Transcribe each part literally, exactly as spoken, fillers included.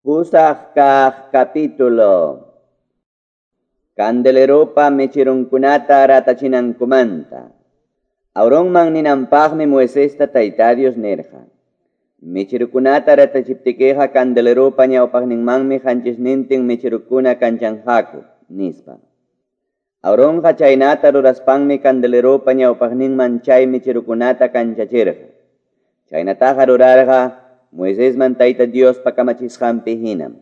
Pusaq kaq capítulo. Candeleropa mecherunkunata ratachinankumanta. Aaronman ninanpaqmi Moisesta Tayta Dios nirqa. Mecherukunata ratachiptikiqa candeleropa ñawpaqninmanmi qanchisnintin mecherukuna kanchanqaku, nispa. Aaronqa chaynata ruraspanmi candeleropa ñawpaqninman chay mecherukunata kanchachirqa. Chaynataqa rurarqa Moisesman Tayta Diospa kamachisqanpi hinam.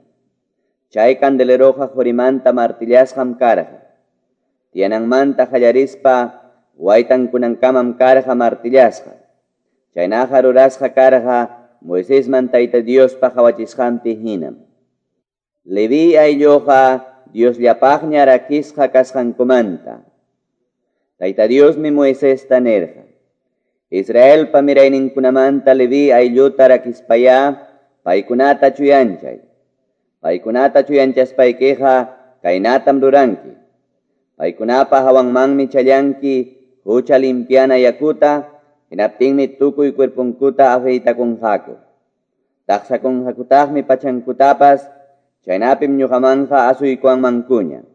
Chay candeleroqa qurimanta martillasqam karqa. Tiyananmanta qallarispa waytankunankamam karqa martillasqa. Chaynaqa rurasqa karqa Moisesman Tayta Diospa qawachisqanpi hinam. Leví aylluqa Diosllapaqña rakisqa kasqankumanta. Tayta Diosmi Moisesta nirqa: Israelpa mirayninkunamanta Leví aylluta rakispayá paykunata chuyanchay. Paykunata chuyanchaspaykiqa kaynatam ruranki. Paykunapa hawanmanmi challanki hucha limpiana yakuta, hinaptinmi tukuy cuerponkuta afeitakunqaku. Taqsakunqakutaqmi pachankutapas, chaynapim ñuqamanqa asuykuwanmankuña.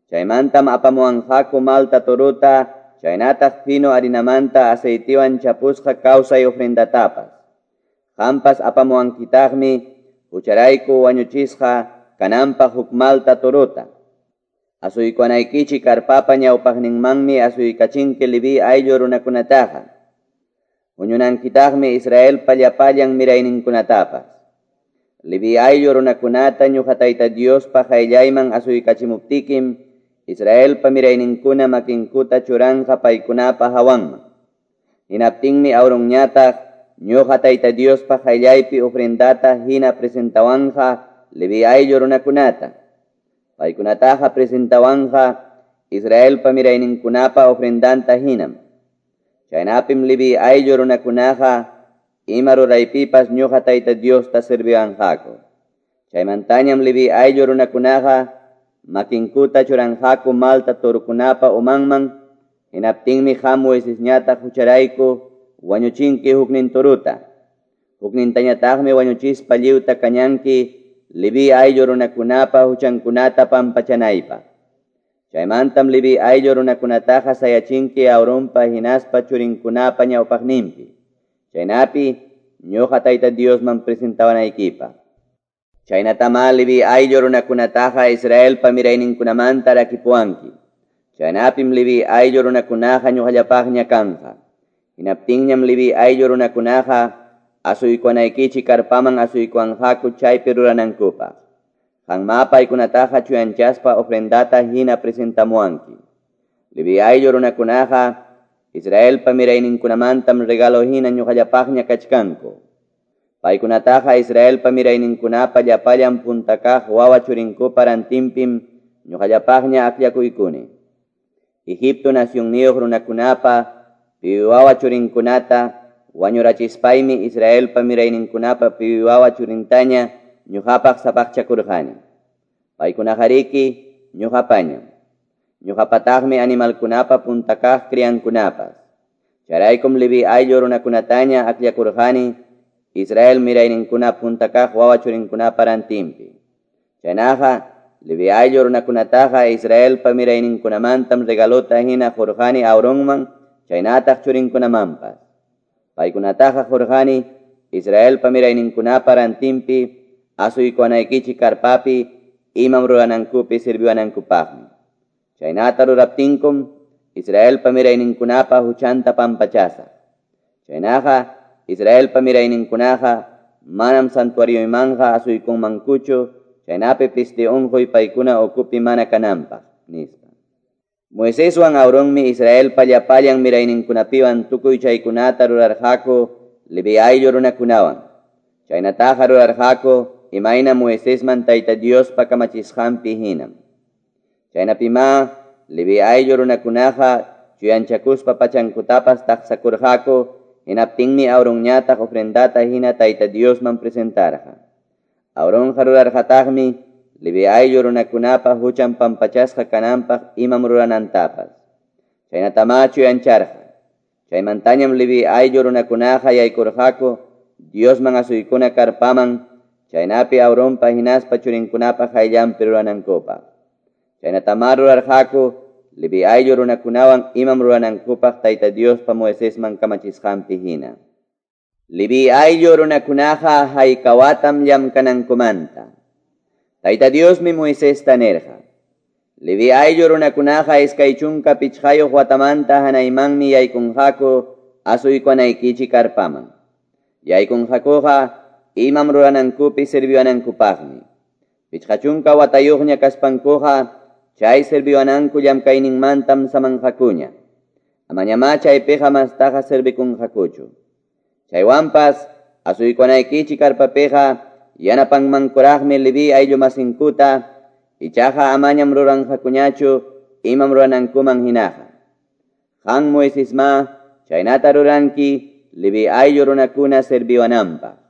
Chaymantam apamuwanqaku malta toruta, chaynataq fino harinamanta aceitiwan chapusqa kawsay ofrendatapas. Qampas apamuwankitaqmi hucharayku wañuchisqa kananpaq huk malta toruta. Asuykuwanaykichik karpapa ñawpaqninmanmi asuykachinki Leví ayllu runakunataqa. Huñunankitaqmi Israelpa llapallan mirayninkunatapas. Leví ayllu runakunata ñuqa Tayta Diospa qayllayman asuykachimuptikim Israelpa mirayninkuna makinkuta churanqa paykunapa hawanman. Hinaptinmi Aaronñataq ñuqa Tayta Diospa qayllaypi ofrendata hina presentawanqa Leví ayllu runakunata. Paykunataqa presentawanqa Israelpa mirayninkunapa ofrendanta hinam. Chaynapim Leví ayllu runakunaqa ima ruraypipas ñuqa Tayta Diosta serviwanqaku. Chaymantañam Leví ayllu runakunaqa makinkuta churanqaku malta torukunapa umanman, hinaptinmi qam Moisesñataq hucharayku wañuchinki huknin toruta. Huknintañataqmi wañuchispa lliwta kañanki Leví ayllu runakunapa huchankunata pampachanaypaq. Chaymantam Leví ayllu runakunataqa sayachinki Aaronpa hinaspa churinkunapa ñawpaqninpi. Chaynapi ñuqa Tayta Diosman presentawanaykipaq. Chaynatamá Leví ayllu runakunataqa Israelpa mirayninkunamanta rakipuwanki. Chaynapim Leví ayllu runakunaqa ñuqallapaqña kanqa. Hinaptinñam Leví ayllu runakunaqa asuykuwanaykichik karpaman asuykuwanqaku chaypi ruranankupaq. Qanmá paykunataqa chuyanchaspa ofrendata hina presentamuwanki. Leví ayllu runakunaqa Israelpa mirayninkunamantam regalo hina ñuqallapaqña kachkanku. Paykunataqa Israelpa mirayninkunapa llapallan punta kaq wawa churinkupa rantinpim ñuqallapaqña akllakuykuni. Egipto nacionniyuq runakunapa piwi wawa churinkunata wañurachispaymi Israelpa mirayninkunapa piwi wawa churintaña ñuqapaq sapaqchakurqani. Paykunaqariki ñuqapañam. Ñuqapataqmi animalkunapa punta kaq criankunapas. Chayraykum Leví ayllu runakunataña akllakurqani Israel mirayninkuna punta kaq wawa churinkunapa rantinpi. Chaynaqa Leví ayllu runakunataqa Israelpa mirayninkunamantam regalota hina qurqani Aaronman chaynataq churinkunamanpas. Paykunataqa qurqani Israelpa mirayninkunapa rantinpi asuykuwanaykichik karpapi imam ruranankupi sirviwanankupaqmi. Chaynata ruraptinkum Israelpa mirayninkunapa huchanta pampachasaq. Chaynaqa Israelpa mirayninkunaqa manam santuarioymanqa asuykunmankuchu chaynapi peste unquy paykuna ukupi mana kananpaq, nispa. Moiseswan Aaronmi Israelpa llapallan mirayninkunapiwan tukuy chaykunata rurarqaku Leví ayllu runakunawan. Chaynataqa rurarqaku imayna Moisesman Tayta Diospa kamachisqanpi hinam. Chaynapimá Leví ayllu runakunaqa chuyanchakuspa pachankutapas taqsakurqaku, hinaptinmi Aaronñataq ofrendata hina Tayta Diosman presentarqa. Aaronqa rurarqataqmi Leví ayllu runakunapa huchan pampachasqa kananpaq imam ruranantapas. Chaynatamá chuyancharqa. Chaymantañam Leví ayllu runakunaqa yaykurqaku Diosman asuykuna karpaman chaynapi Aaronpa hinaspa churinkunapa qayllanpi ruranankupaq. Chaynatamá rurarqaku Leví ayllu runakunawan imam ruranankupaq Tayta Diospa Moisesman kamachisqanpi hina. Leví ayllu runakunaqa haykawatam llamkanankumanta. Tayta Diosmi Moisesta nirqa: Leví ayllu runakunaqa iskay chunka pichqayuq watamanta hanaymanmi yaykunqaku asuykunaykichik karpaman. Yaykunqakuqa imam ruranankupi sirviwanankupaqmi. Pichqa chunka watayuqña kaspankuqa chay sirviwananku llamkayninmantam samanqakuña. Amañamá chaypiqa mastaqa sirvikunqakuchu. Chaywanpas asuykunaykichik karpapiqa yanapanmankuraqmi Leví ayllu masinkuta, ichaqa amañam ruranqakuñachu imam ruranankuman hinaqa. Qan Moisesma chaynata ruranki Leví ayllu runakuna sirviwananpaq.